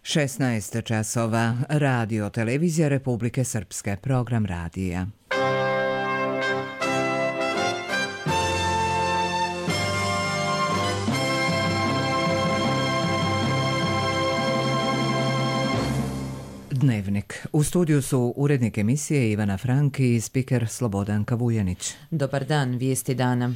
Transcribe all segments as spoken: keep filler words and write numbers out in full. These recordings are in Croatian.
šesnaest časova, Radio Televizija Republike Srpske, program radija. Dnevnik. U studiju su urednik emisije Ivana Franki i spiker Slobodanka Vujanić. Dobar dan, vijesti dana.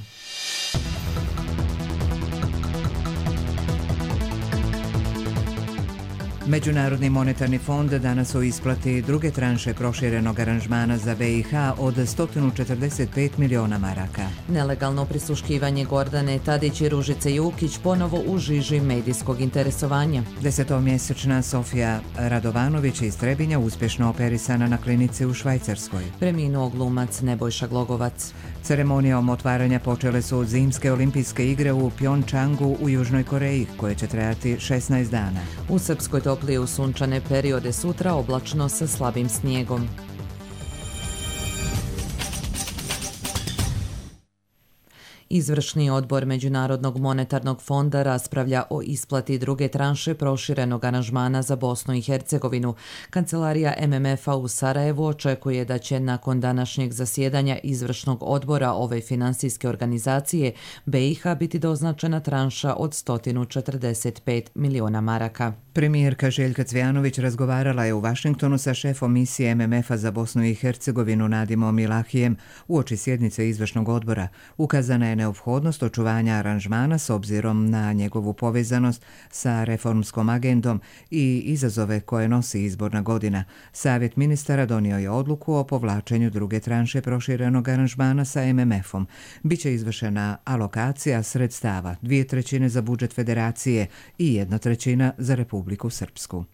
Međunarodni monetarni fond danas u isplati druge tranše proširenog aranžmana za B i H od sto četrdeset pet miliona maraka. Nelegalno prisluškivanje Gordane Tadić i Ružice Jukić ponovo u žiži medijskog interesovanja. Desetomjesečna Sofija Radovanović iz Trebinja uspješno operisana na klinici u Švajcarskoj. Preminuo glumac Nebojša Glogovac. Ceremonijom otvaranja počele su zimske olimpijske igre u Pjongčangu u Južnoj Koreji, koje će trajati šesnaest dana. U Srpskoj toplije u sunčane periode, sutra oblačno sa slabim snijegom. Izvršni odbor Međunarodnog monetarnog fonda raspravlja o isplati druge tranše proširenog aranžmana za Bosnu i Hercegovinu. Kancelarija M M F-a u Sarajevu očekuje da će nakon današnjeg zasjedanja izvršnog odbora ove finansijske organizacije B i H biti doznačena tranša od sto četrdeset pet miliona maraka. Premijerka Željka Cvijanović razgovarala je u Vašingtonu sa šefom misije M M F-a za Bosnu i Hercegovinu Nadimom Ilahijem uoči sjednice izvršnog odbora. Ukazana je neophodnost očuvanja aranžmana s obzirom na njegovu povezanost sa reformskom agendom i izazove koje nosi izborna godina. Savjet ministara donio je odluku o povlačenju druge tranše proširenog aranžmana sa M M F-om. Biće izvršena alokacija sredstava, dvije trećine za budžet federacije i jedna trećina za Republiku Srpsku.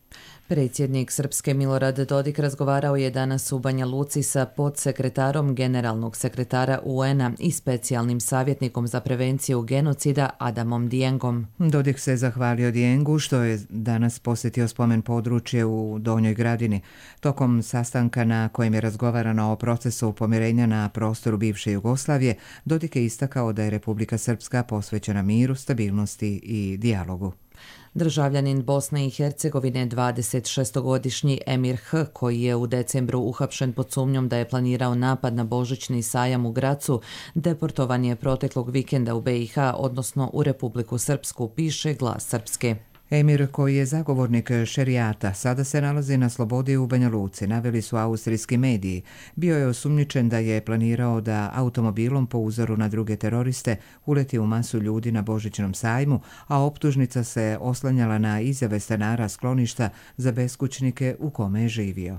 Predsjednik Srpske Milorad Dodik razgovarao je danas u Banja Luci sa podsekretarom generalnog sekretara U N-a i specijalnim savjetnikom za prevenciju genocida Adamom Diengom. Dodik se zahvalio Diengu što je danas posjetio spomen područje u Donjoj Gradini. Tokom sastanka na kojem je razgovarano o procesu pomirenja na prostoru bivše Jugoslavije, Dodik je istakao da je Republika Srpska posvećena miru, stabilnosti i dijalogu. Državljanin Bosne i Hercegovine, dvadesetšestogodišnji Emir H., koji je u decembru uhapšen pod sumnjom da je planirao napad na božićni sajam u Gracu, deportovan je proteklog vikenda u B i H, odnosno u Republiku Srpsku, piše Glas Srpske. Emir, koji je zagovornik šerijata, sada se nalazi na slobodi u Banja Luci, naveli su austrijski mediji. Bio je osumnjičen da je planirao da automobilom po uzoru na druge teroriste uleti u masu ljudi na božićnom sajmu, a optužnica se oslanjala na izjave stanara skloništa za beskućnike u kome je živio.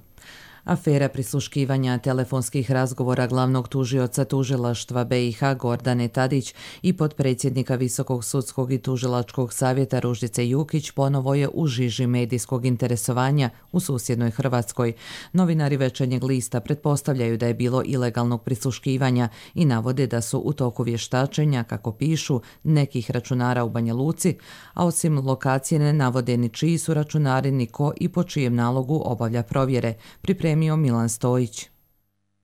Afera prisluškivanja telefonskih razgovora glavnog tužioca tužilaštva B i H Gordane Tadić i potpredsjednika Visokog sudskog i tužilačkog savjeta Ružice Jukić ponovo je u žiži medijskog interesovanja u susjednoj Hrvatskoj. Novinari Večernjeg lista pretpostavljaju da je bilo ilegalnog prisluškivanja i navode da su u toku vještačenja, kako pišu, nekih računara u Banja Luci, a osim lokacije ne navode ni čiji su računari, ni ko i po čijem nalogu obavlja provjere. Pripremio Milan Stojić.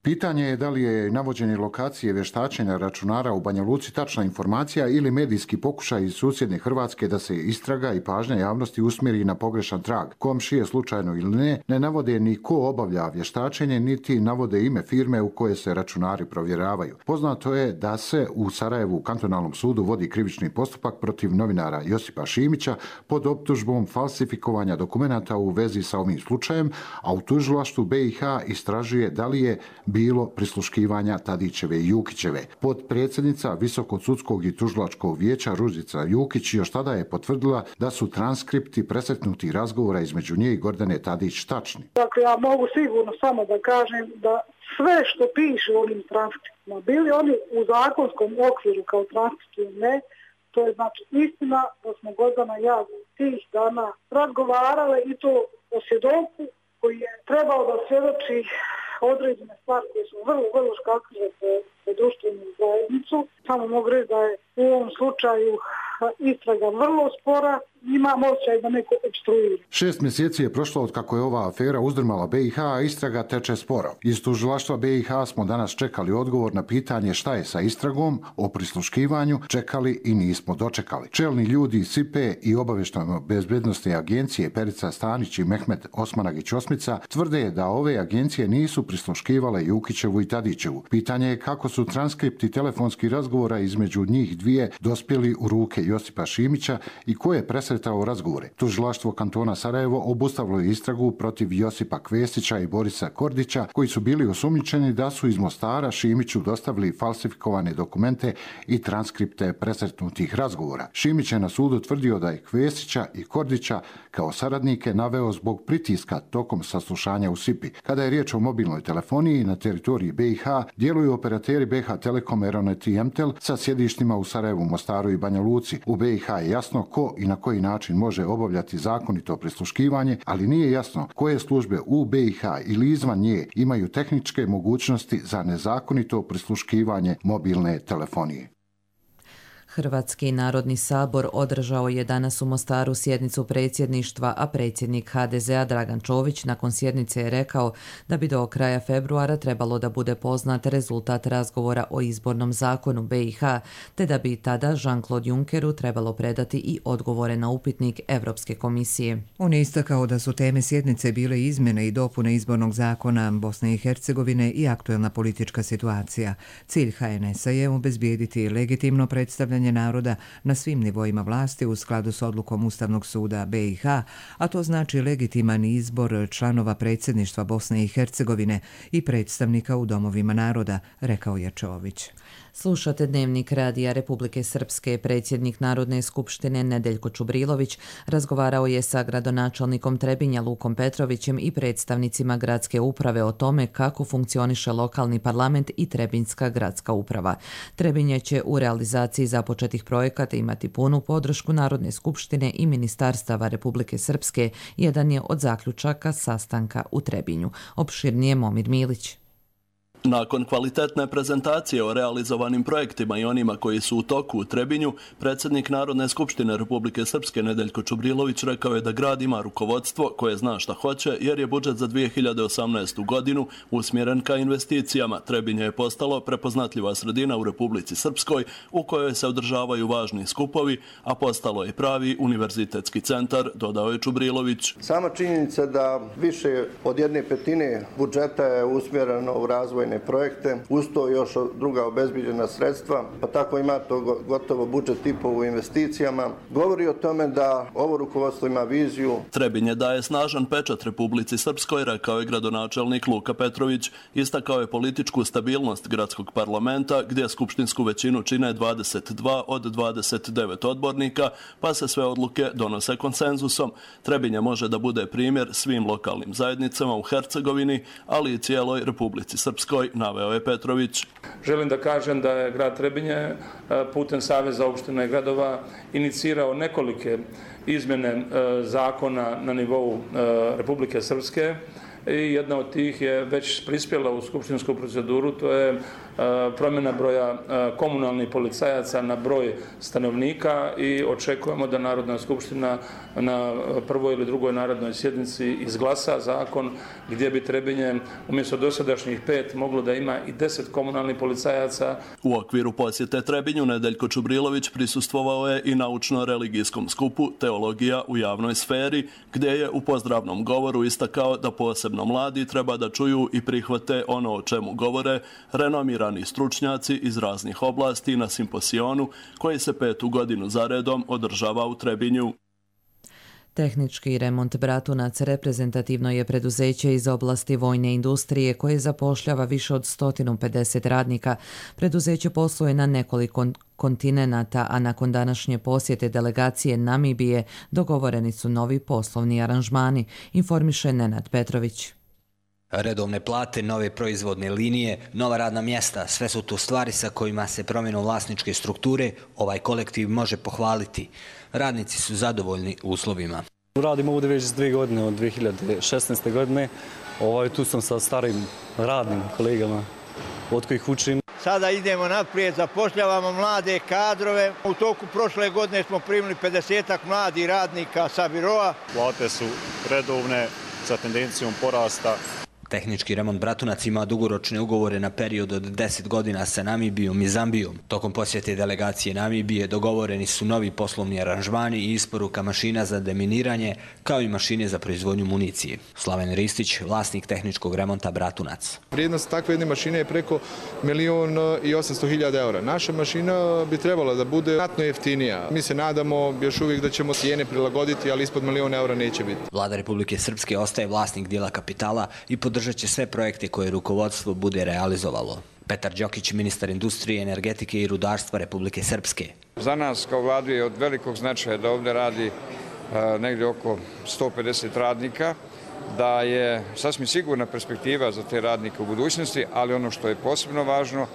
Pitanje je da li je navođenje lokacije vještačenja računara u Banja Luci tačna informacija ili medijski pokušaj iz susjedne Hrvatske da se istraga i pažnja javnosti usmjeri na pogrešan trag. Komšije, slučajno ili ne, ne navode ni ko obavlja vještačenje, niti navode ime firme u koje se računari provjeravaju. Poznato je da se u Sarajevu u kantonalnom sudu vodi krivični postupak protiv novinara Josipa Šimića pod optužbom falsifikovanja dokumenata u vezi sa ovim slučajem, a u tužilaštvu B i H istražuje da li je bilo prisluškivanja Tadićeve i Jukićeve. Potpredsjednica Visokog sudskog i tužilačkog vijeća Ružica Jukić još tada je potvrdila da su transkripti presretnutih razgovora između nje i Gordane Tadić tačni. Dakle, ja mogu sigurno samo da kažem da sve što piše u ovim transkriptima, bili oni u zakonskom okviru kao transkripti ili ne, to je znači istina da smo Gordana i ja tih dana razgovarale i to o svjedoku koji je trebao da svjedoči određene stvari koje su vrlo, vrlo škakljive po, po društvenu zajednicu. Samo mogu reći da je u ovom slučaju istraga vrlo spora imam osjećaj da neko opstruira. Šest mjeseci je prošlo od kako je ova afera uzdrmala B i H, a istraga teče sporo. Iz tužilaštva B i H smo danas čekali odgovor na pitanje šta je sa istragom o prisluškivanju, čekali i nismo dočekali. Čelni ljudi iz S I P E i obavještajno bezbednosne agencije Perica Stanić i Mehmet Osmanagić Osmica tvrde da ove agencije nisu prisluškivale Jukićevu i Tadićevu. Pitanje je kako su transkripti telefonskih razgovora između njih dvije dospjeli u ruke Josipa Šimića i ko je presretao razgovore. Tužilaštvo kantona Sarajevo obustavilo je istragu protiv Josipa Kvesića i Borisa Kordića, koji su bili osumnjičeni da su iz Mostara Šimiću dostavili falsifikovane dokumente i transkripte presretnutih razgovora. Šimić je na sudu tvrdio da je Kvesića i Kordića kao saradnike naveo zbog pritiska tokom saslušanja u S I P I. Kada je riječ o mobilnoj telefoniji na teritoriji B i H, djeluju operateri B H Telekom, Eronet i Emtel sa sjedištima u Sarajevu, Mostaru i Banja Luci. U B i H je jasno ko i na koji način može obavljati zakonito prisluškivanje, ali nije jasno koje službe u B i H ili izvan nje imaju tehničke mogućnosti za nezakonito prisluškivanje mobilne telefonije. Hrvatski narodni sabor održao je danas u Mostaru sjednicu predsjedništva, a predsjednik H D Z-a Dragan Čović nakon sjednice je rekao da bi do kraja februara trebalo da bude poznat rezultat razgovora o izbornom zakonu B i H, te da bi tada Jean-Claude Junckeru trebalo predati i odgovore na upitnik Evropske komisije. On je istakao da su teme sjednice bile izmjene i dopune izbornog zakona Bosne i Hercegovine i aktuelna politička situacija. Cilj H N S-a je obezbijediti legitimno predstavljanje naroda na svim nivoima vlasti u skladu s odlukom Ustavnog suda B i H, a to znači legitiman izbor članova predsjedništva Bosne i Hercegovine i predstavnika u domovima naroda, rekao je Čović. Slušate Dnevnik Radija Republike Srpske. Predsjednik Narodne skupštine Nedeljko Čubrilović razgovarao je sa gradonačelnikom Trebinja Lukom Petrovićem i predstavnicima gradske uprave o tome kako funkcioniše lokalni parlament i Trebinjska gradska uprava. Trebinje će u realizaciji započetih projekata imati punu podršku Narodne skupštine i ministarstava Republike Srpske, jedan je od zaključaka sastanka u Trebinju. Opširnije Momir Milić. Nakon kvalitetne prezentacije o realizovanim projektima i onima koji su u toku u Trebinju, predsjednik Narodne skupštine Republike Srpske Nedeljko Čubrilović rekao je da grad ima rukovodstvo koje zna šta hoće, jer je budžet za dvije hiljade osamnaestu. godinu usmjeren ka investicijama. Trebinje je postalo prepoznatljiva sredina u Republici Srpskoj u kojoj se održavaju važni skupovi, a postalo je pravi univerzitetski centar, dodao je Čubrilović. Sama činjenica da više od jedne petine budžeta je usmjereno u razvojne projekte, uz to još druga obezbijeđena sredstva, pa tako ima to gotovo budžet i po u investicijama, govori o tome da ovo rukovodstvo ima viziju. Trebinje daje snažan pečat Republici Srpskoj, rekao je gradonačelnik Luka Petrović. Istakao je političku stabilnost gradskog parlamenta, gdje skupštinsku većinu čine dvadeset dva od dvadeset devet odbornika, pa se sve odluke donose konsenzusom. Trebinje može da bude primjer svim lokalnim zajednicama u Hercegovini, ali i cijeloj Republici Srpskoj, naveo je Petrović. Želim da kažem da je grad Trebinje putem Saveza opština i gradova inicirao nekolike izmjene zakona na nivou Republike Srpske i jedna od tih je već prispjela u skupštinsku proceduru, to je promjena broja komunalnih policajaca na broj stanovnika i očekujemo da Narodna skupština na prvoj ili drugoj narodnoj sjednici izglasa zakon gdje bi Trebinje umjesto dosadašnjih pet moglo da ima i deset komunalnih policajaca. U okviru posjete Trebinju Nedeljko Čubrilović prisustvovao je i naučno-religijskom skupu Teologija u javnoj sferi, gdje je u pozdravnom govoru istakao da posebno mladi treba da čuju i prihvate ono o čemu govore renomirani stručnjaci iz raznih oblasti na simposionu koji se petu godinu zaredom održava u Trebinju. Tehnički remont Bratunac reprezentativno je preduzeće iz oblasti vojne industrije koje zapošljava više od sto pedeset radnika. Preduzeće posluje na nekoliko kontinenata, a nakon današnje posjete delegacije Namibije dogovoreni su novi poslovni aranžmani, informiše Nenad Petrović. Redovne plate, nove proizvodne linije, nova radna mjesta, sve su to stvari sa kojima se promjenom vlasničke strukture ovaj kolektiv može pohvaliti. Radnici su zadovoljni uslovima. Radim ovdje već dvije godine, od dvije hiljade šesnaeste. godine. Ovaj, tu sam sa starim radnim kolegama od kojih učim. sada idemo naprijed, zapošljavamo mlade kadrove. U toku prošle godine smo primili pedesetak mladih radnika sa biroa. Plate su redovne sa tendencijom porasta. Tehnički remont Bratunac ima dugoročne ugovore na period od deset godina sa Namibijom i Zambijom. Tokom posjete delegacije Namibije dogovoreni su novi poslovni aranžmani i isporuka mašina za deminiranje, kao i mašine za proizvodnju municije. Slaven Ristić, vlasnik tehničkog remonta Bratunac. Vrijednost takve jedne mašine je preko milion i osamsto hiljada eura. Naša mašina bi trebala da bude znatno jeftinija. Mi se nadamo još uvijek da ćemo cijene prilagoditi, ali ispod milion eura neće biti. Vlada Republike Srpske ostaje vlasnik dijela kapitala i podržat će sve projekte koje rukovodstvo bude realizovalo. Petar Đokić, ministar industrije, energetike i rudarstva Republike Srpske. Za nas kao vladu je od velikog značaja da ovdje radi negdje oko sto pedeset radnika, da je sasvim sigurna perspektiva za te radnike u budućnosti, ali ono što je posebno važno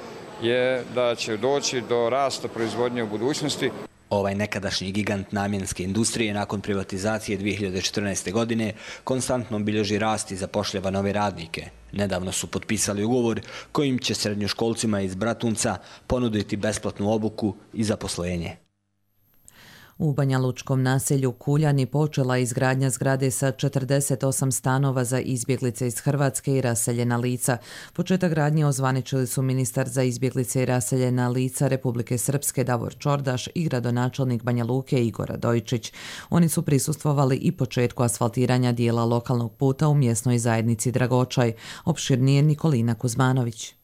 je da će doći do rasta proizvodnje u budućnosti. Ovaj nekadašnji gigant namjenske industrije nakon privatizacije dvije hiljade četrnaeste. godine konstantno bilježi rast i zapošljava nove radnike. Nedavno su potpisali ugovor kojim će srednjoškolcima iz Bratunca ponuditi besplatnu obuku i zaposlenje. U Banjalučkom naselju Kuljani počela izgradnja zgrade sa četrdeset osam stanova za izbjeglice iz Hrvatske i raseljena lica. Početak gradnje ozvaničili su ministar za izbjeglice i raseljena lica Republike Srpske Davor Čordaš i gradonačelnik Banja Luke Igor Radojičić. Oni su prisustvovali i početku asfaltiranja dijela lokalnog puta u mjesnoj zajednici Dragočaj. Opširnije Nikolina Kuzmanović.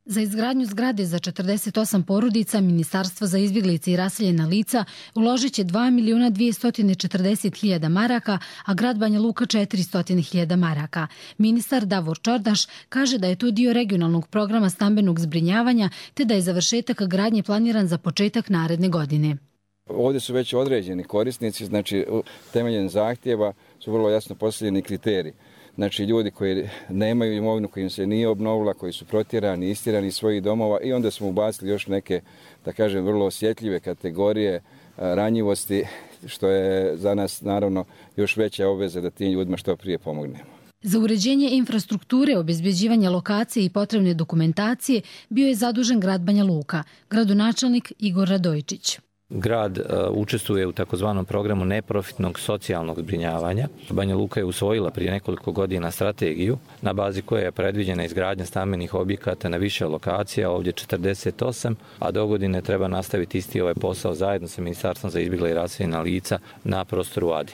Za izgradnju zgrade za četrdeset osam porodica Ministarstvo za izbjeglice i raseljena lica uložit će dva miliona dvjesto četrdeset hiljada maraka, a grad Banja Luka četiristo hiljada maraka. Ministar Davor Čordaš kaže da je to dio regionalnog programa stambenog zbrinjavanja te da je završetak gradnje planiran za početak naredne godine. Ovdje su već određeni korisnici, znači temeljem zahtjeva su vrlo jasno postavljeni kriteriji. Znači ljudi koji nemaju imovinu, koji im se nije obnovila, koji su protjerani, istirani iz svojih domova i onda smo ubacili još neke, da kažem, vrlo osjetljive kategorije ranjivosti, što je za nas naravno još veća obveza da tim ljudima što prije pomognemo. Za uređenje infrastrukture, obezbeđivanje lokacije i potrebne dokumentacije bio je zadužen grad Banja Luka, gradonačelnik Igor Radojičić. Grad učestvuje u takozvanom programu neprofitnog socijalnog zbrinjavanja. Banja Luka je usvojila prije nekoliko godina strategiju na bazi koje je predviđena izgradnja stambenih objekata na više lokacija, ovdje četrdeset osam, a do godine treba nastaviti isti ovaj posao zajedno sa Ministarstvom za izbjegla i raseljena lica na prostoru Adi.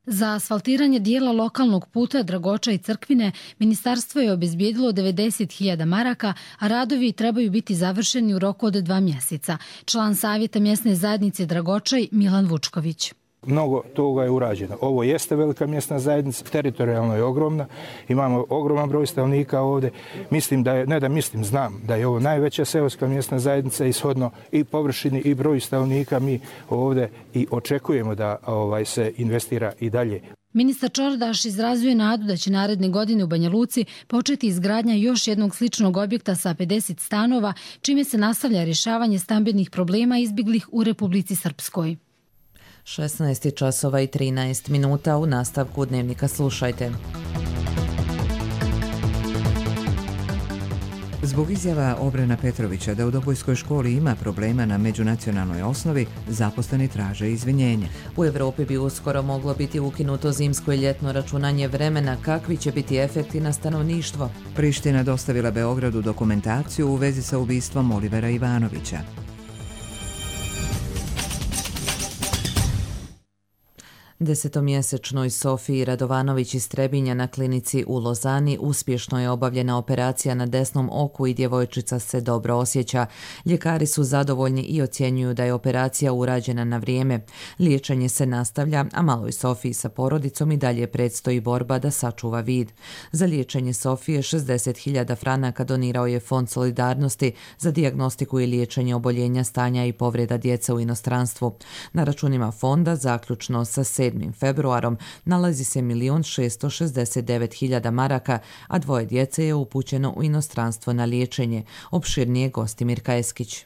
Za asfaltiranje dijela lokalnog puta Dragoča i Crkvine ministarstvo je obezbijedilo devedeset hiljada maraka, a radovi trebaju biti završeni u roku od dva mjeseca. Član savjeta mjesne zajednice Dragočaj Milan Vučković. Mnogo toga je urađeno. Ovo jeste velika mjesna zajednica, teritorijalno je ogromna, imamo ogroman broj stanovnika ovdje. Mislim da je, ne da mislim, znam da je ovo najveća seoska mjesna zajednica ishodno i površini i broj stanovnika. Mi ovdje i očekujemo da ovaj, se investira i dalje. Ministar Čordaš izrazio je nadu da će naredne godine u Banja Luci početi izgradnja još jednog sličnog objekta sa pedeset stanova, čime se nastavlja rješavanje stambenih problema izbjeglih u Republici Srpskoj. šesnaest časova i trinaest minuta. U nastavku dnevnika slušajte. Zbog izjava Obrena Petrovića da u Dobojskoj školi ima problema na međunacionalnoj osnovi, zaposleni traže izvinjenje. U Evropi bi uskoro moglo biti ukinuto zimsko i ljetno računanje vremena. Kakvi će biti efekti na stanovništvo? Priština dostavila Beogradu dokumentaciju u vezi sa ubistvom Olivera Ivanovića. Desetomjesečnoj Sofiji Radovanović iz Trebinja na klinici u Lozani uspješno je obavljena operacija na desnom oku i djevojčica se dobro osjeća. Ljekari su zadovoljni i ocjenjuju da je operacija urađena na vrijeme. Liječenje se nastavlja, a maloj Sofiji sa porodicom i dalje predstoji borba da sačuva vid. Za liječenje Sofije šezdeset hiljada franaka donirao je Fond solidarnosti za dijagnostiku i liječenje oboljenja, stanja i povreda djece u inostranstvu. Na računima fonda zaključno sa sedmim februarom nalazi se milion šesto šezdeset devet hiljada maraka, a dvoje djece je upućeno u inostranstvo na liječenje. Opširnije Gostimir Kajeskić.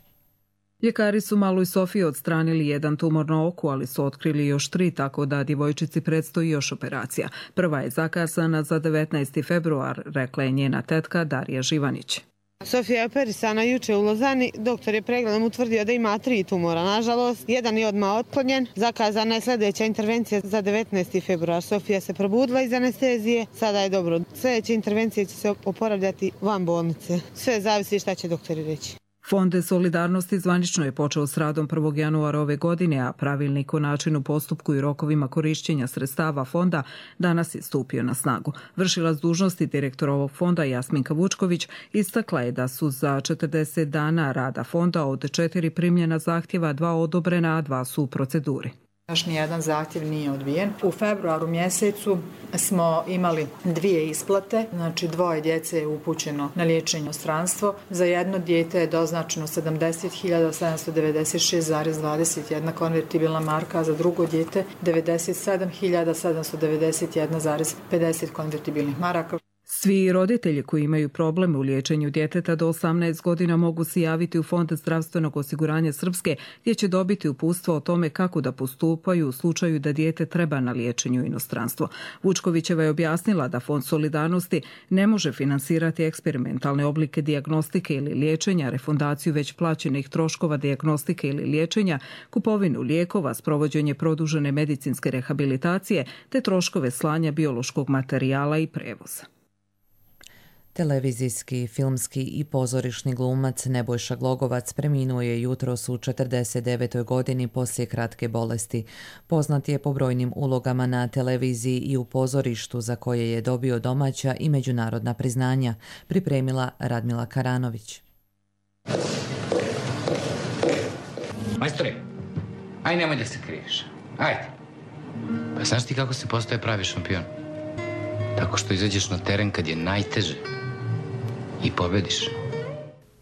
Ljekari su maloj Sofiji odstranili jedan tumor na oku, ali su otkrili još tri, tako da djevojčici predstoji još operacija. Prva je zakazana za devetnaesti februar, rekla je njena tetka Darija Živanić. Sofija je operisana juče u Lozani. Doktor je pregledom utvrdio da ima tri tumora. Nažalost, jedan je odmah otklonjen. Zakazana je sljedeća intervencija za devetnaesti februar. Sofija se probudila iz anestezije. Sada je dobro. Sljedeće intervencije će se oporavljati van bolnice. Sve zavisi šta će doktori reći. Fond Solidarnosti zvanično je počeo s radom prvog januara ove godine, a pravilnik o načinu, postupku i rokovima korišćenja sredstava fonda danas je stupio na snagu. Vršilac dužnosti direktora ovog fonda Jasminka Vučković istakla je da su za četrdeset dana rada fonda od četiri primljena zahtjeva dva odobrena, a dva su u proceduri. Još nijedan zahtjev nije odbijen. U februaru mjesecu smo imali dvije isplate, znači dvoje djece je upućeno na liječenje u inostranstvo. Za jedno dijete je doznačeno sedamdeset hiljada sedamsto devedeset šest zarez dvadeset jedna konvertibilna marka, a za drugo dijete devedeset sedam hiljada sedamsto devedeset jedna zarez pedeset konvertibilnih maraka. Svi roditelji koji imaju probleme u liječenju djeteta do osamnaest godina mogu se javiti u Fond zdravstvenog osiguranja Srpske, gdje će dobiti uputstvo o tome kako da postupaju u slučaju da dijete treba na liječenju u inostranstvo. Vučkovićeva je objasnila da Fond Solidarnosti ne može finansirati eksperimentalne oblike dijagnostike ili liječenja, refundaciju već plaćenih troškova dijagnostike ili liječenja, kupovinu lijekova, sprovođenje produžene medicinske rehabilitacije te troškove slanja biološkog materijala i prevoza. Televizijski, filmski i pozorišni glumac Nebojša Glogovac preminuo je jutros u četrdeset devetoj godini poslije kratke bolesti. Poznat je po brojnim ulogama na televiziji i u pozorištu za koje je dobio domaća i međunarodna priznanja, pripremila Radmila Karanović. Majstore, aj nemoj da se kriješ. Ajde. Pa znaš ti kako se postaje pravi šampion? Tako što izađeš na teren kad je najteže i pobediš.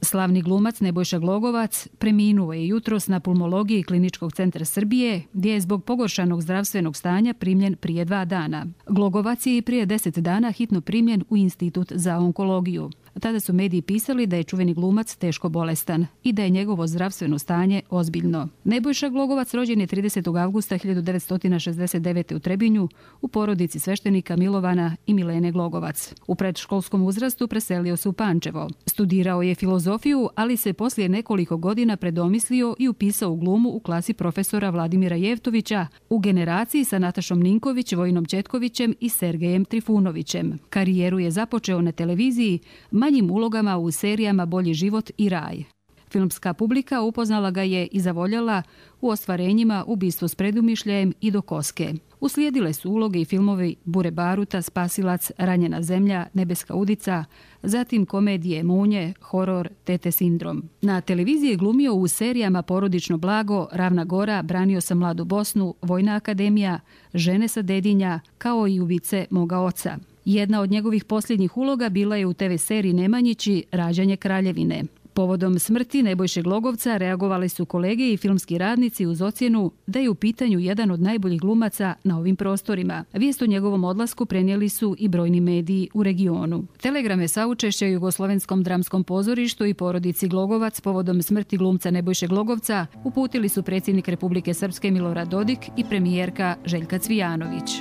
Slavni glumac Nebojša Glogovac preminuo je jutros na pulmologiji Kliničkog centra Srbije, gdje je zbog pogoršanog zdravstvenog stanja primljen prije dva dana. Glogovac je i prije deset dana hitno primljen u Institut za onkologiju. Tada su mediji pisali da je čuveni glumac teško bolestan i da je njegovo zdravstveno stanje ozbiljno. Nebojša Glogovac rođen je tridesetog avgusta hiljadu devetsto šezdeset devete. u Trebinju u porodici sveštenika Milovana i Milene Glogovac. U predškolskom uzrastu preselio se u Pančevo. Studirao je filozofiju, ali se poslije nekoliko godina predomislio i upisao u glumu u klasi profesora Vladimira Jevtovića u generaciji sa Natašom Ninković, Vojinom Četkovićem i Sergejem Trifunovićem. Karijeru je započeo na televiziji manjim ulogama u serijama Bolji život i Raj. Filmska publika upoznala ga je i zavoljala u ostvarenjima Ubistvo s predumišljajem i Do koske. Uslijedile su uloge i filmovi Bure baruta, Spasilac, Ranjena zemlja, Nebeska udica, zatim komedije Munje, horor, Tete sindrom. Na televiziji je glumio u serijama Porodično blago, Ravna gora, Branio sam mladu Bosnu, Vojna akademija, Žene sa Dedinja, kao i Ubice moga oca. Jedna od njegovih posljednjih uloga bila je u te ve seriji Nemanjići, Rađanje kraljevine. Povodom smrti Nebojše Glogovca reagovali su kolege i filmski radnici uz ocjenu da je u pitanju jedan od najboljih glumaca na ovim prostorima. Vijest o njegovom odlasku prenijeli su i brojni mediji u regionu. Telegrame saučešća Jugoslovenskom dramskom pozorištu i porodici Glogovac povodom smrti glumca Nebojše Glogovca uputili su predsjednik Republike Srpske Milorad Dodik i premijerka Željka Cvijanović.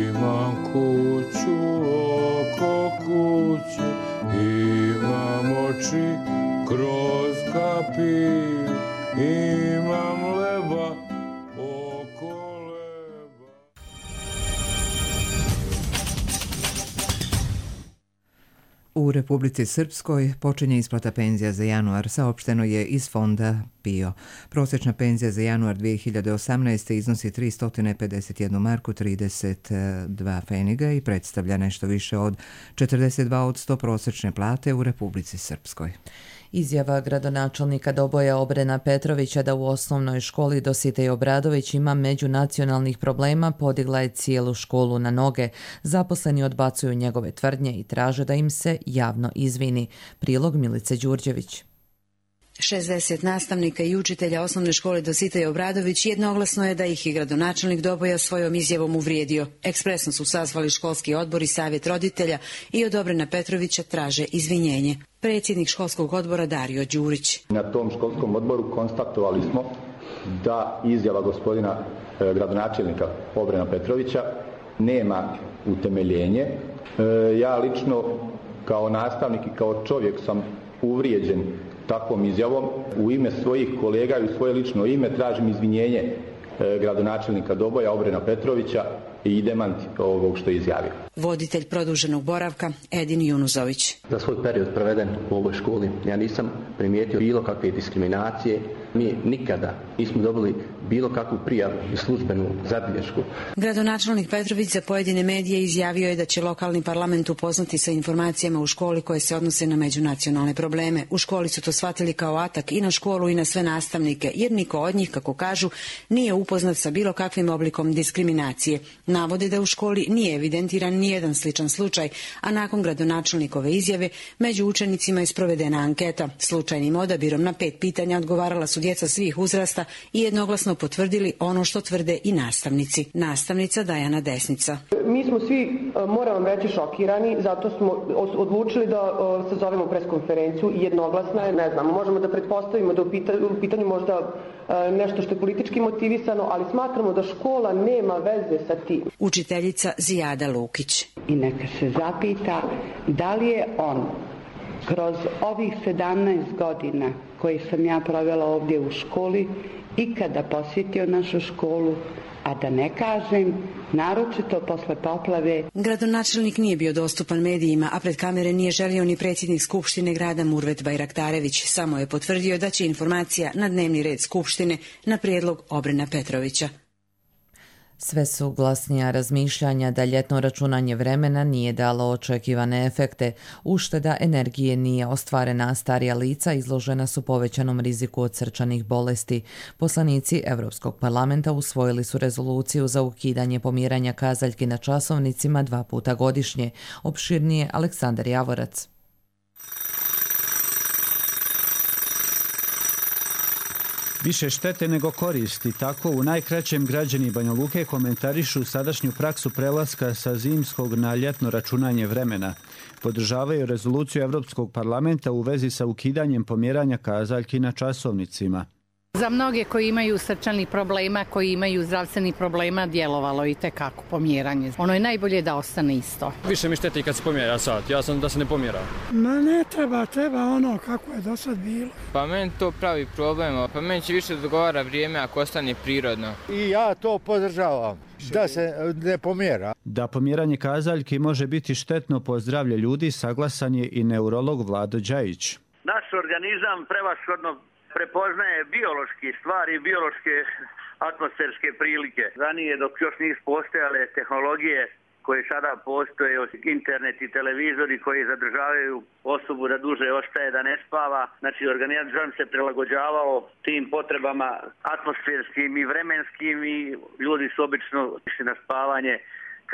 Imam kuću oko kuće, imam oči kroz kapiju, imam leba oko leba. U Republici Srpskoj počinje isplata penzija za januar, saopšteno je iz fonda P I O. Prosječna penzija za januar dvije hiljade osamnaeste. iznosi tristo pedeset jednu marku trideset dva pfeniga i predstavlja nešto više od četrdeset dva posto prosječne plate u Republici Srpskoj. Izjava gradonačelnika Doboja Obrena Petrovića da u osnovnoj školi Dositej Obradović ima međunacionalnih problema podigla je cijelu školu na noge. Zaposleni odbacuju njegove tvrdnje i traže da im se javno izvini. Prilog Milice Đurđević. šezdeset nastavnika i učitelja osnovne škole Dositej Obradović jednoglasno je da ih je gradonačelnik Doboja svojom izjavom uvrijedio. Ekspresno su sazvali školski odbor i savjet roditelja i od Obrena Petrovića traže izvinjenje. Predsjednik školskog odbora Dario Đurić. Na tom školskom odboru konstatovali smo da izjava gospodina e, gradonačelnika Obrena Petrovića nema utemeljenje. E, ja lično kao nastavnik i kao čovjek sam uvrijeđen takvom izjavom. U ime svojih kolega i u svoje lično ime tražim izvinjenje gradonačelnika Doboja, Obrena Petrovića, i demant ovog što je izjavio. Voditelj produženog boravka Edin Junuzović. Za svoj period proveden u ovoj školi ja nisam primijetio bilo kakve diskriminacije. Mi nikada nismo dobili bilo kakvu prijavu i službenu zabilješku. Gradonačelnik Petrović za pojedine medije izjavio je da će lokalni parlament upoznati sa informacijama u školi koje se odnose na međunacionalne probleme. U školi su to shvatili kao atak i na školu i na sve nastavnike, jer niko od njih, kako kažu, nije upoznat sa bilo kakvim oblikom diskriminacije. Navode da u školi nije evidentiran nijedan sličan slučaj, a nakon gradonačelnikove izjave među učenicima je sprovedena anketa. Slučajnim odabirom na pet pitanja odgovarala su djeca svih uzrasta i jednoglasno potvrdili ono što tvrde i nastavnici. Nastavnica Dajana Desnica. Mi smo svi, moram vam reći, šokirani, zato smo odlučili da sazovemo preskonferenciju i jednoglasna je, ne znam, možemo da pretpostavimo da u pitanju možda nešto što je politički motivisano, ali smatramo da škola nema veze sa tim. Učiteljica Zijada Lukić. I neka se zapita da li je on kroz ovih sedamnaest godina koje sam ja provela ovdje u školi ikada posjetio našu školu, a da ne kažem, naročito posle poplave. Gradonačelnik nije bio dostupan medijima, a pred kamere nije želio ni predsjednik Skupštine grada Murvet Bajraktarević. Samo je potvrdio da će informacija na dnevni red Skupštine na prijedlog Obrena Petrovića. Sve su glasnija razmišljanja da ljetno računanje vremena nije dalo očekivane efekte. Ušteda energije nije ostvarena, a starija lica izložena su povećanom riziku od srčanih bolesti. Poslanici Europskog parlamenta usvojili su rezoluciju za ukidanje pomjeranja kazaljki na časovnicima dva puta godišnje. Opširnije Aleksandar Javorac. Više štete nego koristi, tako u najkraćem građani Banja Luke komentarišu sadašnju praksu prelaska sa zimskog na ljetno računanje vremena. Podržavaju rezoluciju Europskog parlamenta u vezi sa ukidanjem pomjeranja kazaljki na časovnicima. Za mnoge koji imaju srčanih problema, koji imaju zdravstvenih problema, djelovalo i tekako pomjeranje. Ono je najbolje da ostane isto. Više mi šteti kad se pomjera sat, ja sam da se ne pomjera. Ma ne treba, treba ono kako je do sad bilo. Pa meni to pravi problem, pa meni će više dogovara vrijeme ako ostane prirodno. I ja to podržavam, da se ne pomjera. Da pomjeranje kazaljki može biti štetno po zdravlje ljudi, saglasan je i neurolog Vlado Đajić. Naš organizam prevashodno prepoznaje biološke stvari, biološke atmosferske prilike. Ranije, dok još nisu postojale tehnologije koje sada postoje, internet i televizori koji zadržavaju osobu da duže ostaje, da ne spava. Znači, organizam se prilagođavao tim potrebama atmosferskim i vremenskim i ljudi su obično išli na spavanje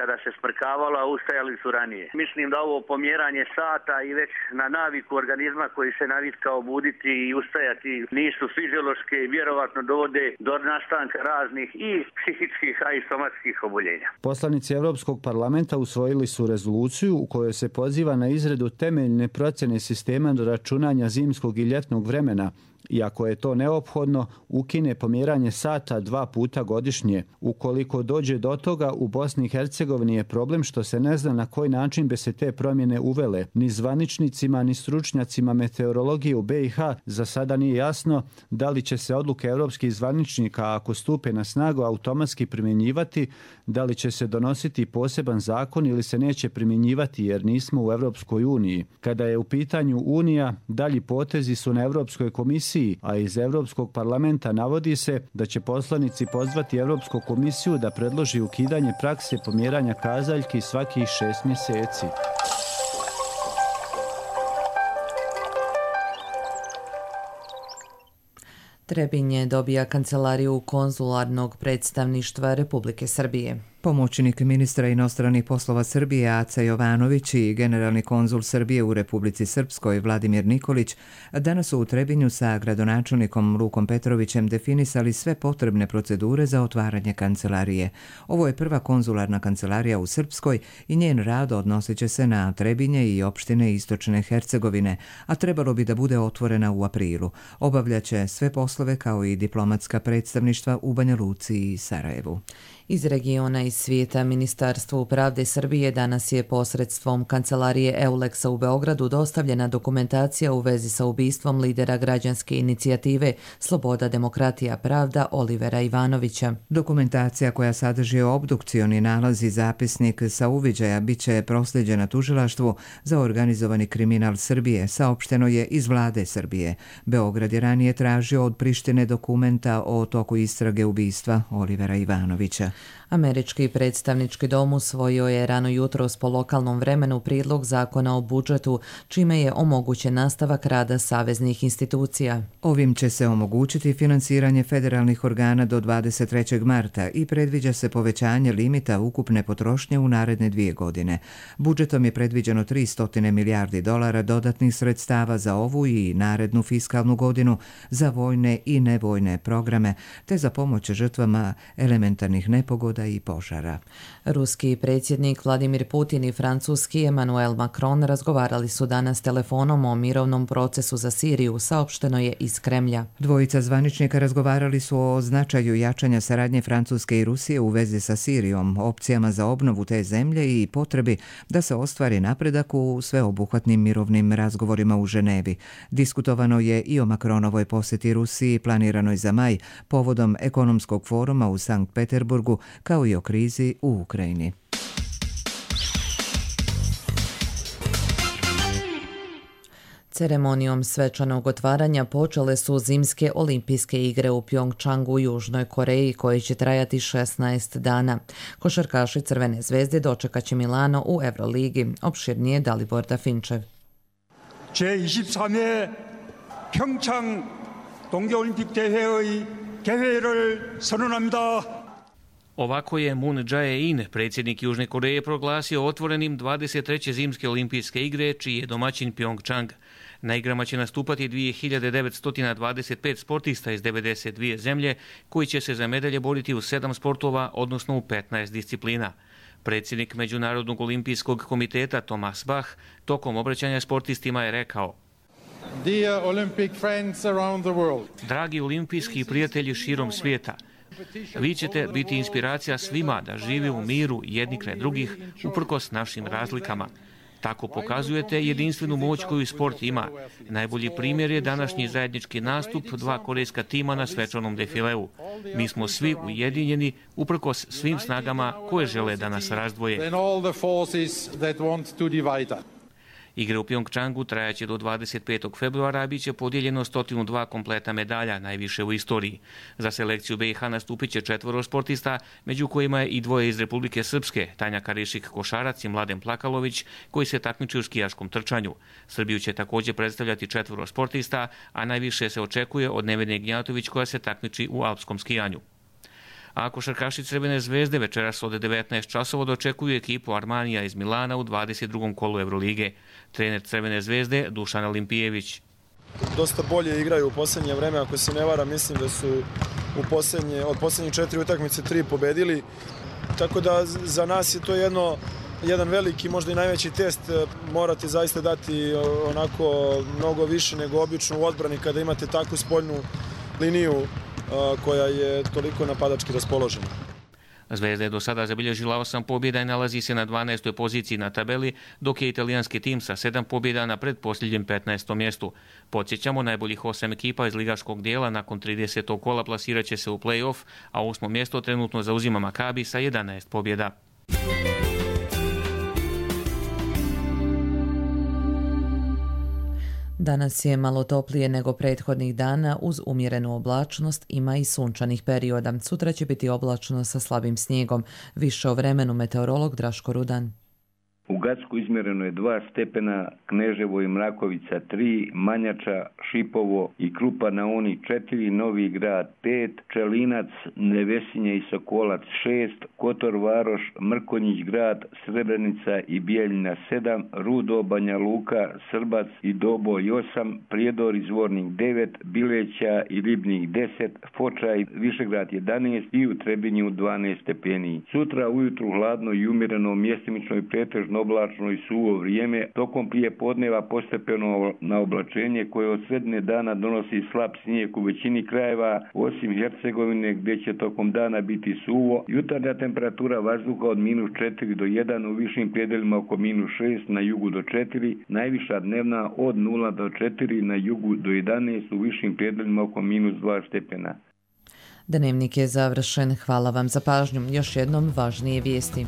kada se smrkavalo, a ustajali su ranije. Mislim da ovo pomjeranje sata i već na naviku organizma koji se navikao buditi i ustajati nisu fiziološke i vjerovatno dovode do nastanka raznih i psihičkih, a i somatskih oboljenja. Poslanici Europskog parlamenta usvojili su rezoluciju u kojoj se poziva na izradu temeljne procjene sistema do računanja zimskog i ljetnog vremena, i ako je to neophodno, ukine pomjeranje sata dva puta godišnje. Ukoliko dođe do toga, u Bosni i Hercegovini je problem što se ne zna na koji način bi se te promjene uvele. Ni zvaničnicima, ni stručnjacima meteorologije u B i H za sada nije jasno da li će se odluke europskih zvaničnika, ako stupe na snagu, automatski primjenjivati, da li će se donositi poseban zakon ili se neće primjenjivati jer nismo u Europskoj uniji. Kada je u pitanju Unija, dalji potezi su na Europskoj komisiji, a iz Europskog parlamenta navodi se da će poslanici pozvati Europsku komisiju da predloži ukidanje prakse pomjeranja kazaljki svakih šest mjeseci. Trebinje dobija kancelariju konzularnog predstavništva Republike Srbije. Pomoćnik ministra inostranih poslova Srbije Aca Jovanović i generalni konzul Srbije u Republici Srpskoj Vladimir Nikolić danas su u Trebinju sa gradonačelnikom Lukom Petrovićem definisali sve potrebne procedure za otvaranje kancelarije. Ovo je prva konzularna kancelarija u Srpskoj i njen rad odnosit će se na Trebinje i opštine Istočne Hercegovine, a trebalo bi da bude otvorena u aprilu. Obavljaće sve poslove kao i diplomatska predstavništva u Banja Luci i Sarajevu. Iz regiona iz svijeta. Ministarstvo pravde Srbije danas je posredstvom kancelarije Euleksa u Beogradu dostavljena dokumentacija u vezi sa ubistvom lidera građanske inicijative Sloboda, demokratija, pravda Olivera Ivanovića. Dokumentacija koja sadrži obdukcioni nalaz i zapisnik sa uviđaja bit će proslijeđena tužilaštvu za organizovani kriminal Srbije, saopšteno je iz vlade Srbije. Beograd je ranije tražio od Prištine dokumenta o toku istrage ubistva Olivera Ivanovića. Američki predstavnički dom usvojio je rano jutros po lokalnom vremenu prijedlog zakona o budžetu, čime je omogućen nastavak rada saveznih institucija. Ovim će se omogućiti finansiranje federalnih organa do dvadeset trećeg marta i predviđa se povećanje limita ukupne potrošnje u naredne dvije godine. Budžetom je predviđeno tristo milijardi dolara dodatnih sredstava za ovu i narednu fiskalnu godinu, za vojne i nevojne programe, te za pomoć žrtvama elementarnih nepogoda i požara. Ruski predsjednik Vladimir Putin i francuski Emmanuel Macron razgovarali su danas telefonom o mirovnom procesu za Siriju, saopšteno je iz Kremlja. Dvojica zvaničnika razgovarali su o značaju jačanja saradnje Francuske i Rusije u vezi sa Sirijom, opcijama za obnovu te zemlje i potrebi da se ostvari napredak u sveobuhvatnim mirovnim razgovorima u Ženevi. Diskutovano je i o Macronovoj posjeti Rusiji planiranoj za maj povodom ekonomskog foruma u Sankt Peterburgu, kao i o krizi u Ukrajini. Ceremonijom svečanog otvaranja počele su zimske olimpijske igre u Pjongčangu u Južnoj Koreji, koje će trajati šesnaest dana. Košarkaši Crvene zvezde dočekat će Milano u Euroligi. Opširnije Dalibor Dafinčev. 제이십삼 회 평창 동계올림픽 대회의 개회를 선언합니다. Ovako je Moon Jae-in, predsjednik Južne Koreje, proglasio otvorenim dvadeset treće zimske olimpijske igre, čiji je domaćin Pjongčang. Na igrama će nastupati dvije hiljade devetsto dvadeset pet sportista iz devedeset dvije zemlje, koji će se za medalje boriti u sedam sportova, odnosno u petnaest disciplina. Predsjednik Međunarodnog olimpijskog komiteta Thomas Bach tokom obraćanja sportistima je rekao: Dear Olympic friends around the world. Dragi olimpijski prijatelji širom svijeta, vi ćete biti inspiracija svima da žive u miru jedni kraj drugih uprkos našim razlikama. Tako pokazujete jedinstvenu moć koju sport ima. Najbolji primjer je današnji zajednički nastup dva korejska tima na svečanom defileu. Mi smo svi ujedinjeni uprkos svim snagama koje žele da nas razdvoje. Igre u Pjongčangu trajaće do dvadeset petog februara, a bit će podijeljeno sto dva kompleta medalja, najviše u istoriji. Za selekciju B i H nastupit će četvoro sportista, među kojima je i dvoje iz Republike Srpske, Tanja Karišik košarac i Mladen Plakalović, koji se takmiče u skijaškom trčanju. Srbiju će također predstavljati četvoro sportista, a najviše se očekuje od Nevene Gnjatović, koja se takmiči u alpskom skijanju. A košarkaši Crvene zvezde večeras od devetnaest časova dočekuju ekipu Armanija iz Milana u dvadeset drugom kolu Evrolige. Trener Crvene zvezde Dušan Olimpijević. Dosta bolje igraju u posljednje vreme, ako se ne varam, mislim da su u posljednje, od posljednjih četiri utakmice tri pobedili. Tako da za nas je to jedno, jedan veliki, možda i najveći test. Morate zaista dati onako mnogo više nego obično u odbrani kada imate takvu spoljnu liniju koja je toliko napadački raspoložena. Zvezda je do sada zabilježila osam pobjeda i nalazi se na dvanaestoj poziciji na tabeli, dok je italijanski tim sa sedam pobjeda na pretposljednjem petnaestom mjestu. Podsjećamo, najboljih osam ekipa iz ligaškog dijela nakon tridesetog kola plasirat će se u play-off, a osmo mjesto trenutno zauzima Makabi sa jedanaest pobjeda. Danas je malo toplije nego prethodnih dana, uz umjerenu oblačnost, ima i sunčanih perioda. Sutra će biti oblačno sa slabim snijegom. Više o vremenu meteorolog Draško Rudan. U Gacku izmjereno je dva stepena, Kneževo i Mrakovica tri, Manjača, Šipovo i Krupa na Uni četiri, Novi Grad pet, Čelinac, Nevesinje i Sokolac šest, Kotor Varoš, Mrkonjić Grad, Srebrenica i Bijeljina sedam, Rudo, Banja Luka, Srbac i Doboj osam, Prijedor i Zvornik devet, Bileća i Ribnik deset, Foča i Višegrad jedanaest i u Trebinju dvanaest stepeni. Sutra ujutru hladno i umjereno, mjestimično i pretežno oblačno oblačno i suvo vrijeme, tokom prije podneva postepeno na oblačenje koje od sredine dana donosi slab snijeg u većini krajeva, osim Hercegovine gdje će tokom dana biti suvo. Jutarnja temperatura vazduha od minus četiri do jedan, u višim predelima oko minus šest, na jugu do četiri, najviša dnevna od nula do četiri, na jugu do jedanaest, u višim predelima oko minus dva stepena. Dnevnik je završen. Hvala vam za pažnju. Još jednom važnije vijesti.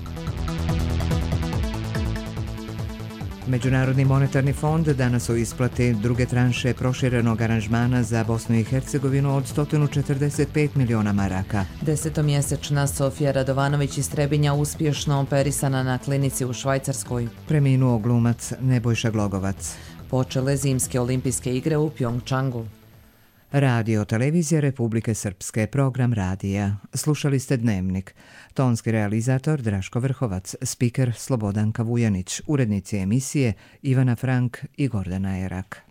Međunarodni monetarni fond danas o isplati druge tranše proširenog aranžmana za Bosnu i Hercegovinu od sto četrdeset pet miliona maraka. Desetomjesečna Sofija Radovanović iz Trebinja uspješno operisana na klinici u Švajcarskoj. Preminuo glumac Nebojša Glogovac. Počele zimske olimpijske igre u Pjongčangu. Radio televizija Republike Srpske, program radija. Slušali ste Dnevnik. Tonski realizator Draško Vrhovac, spiker Slobodanka Vujanić, urednici emisije Ivana Frank i Gordana Erak.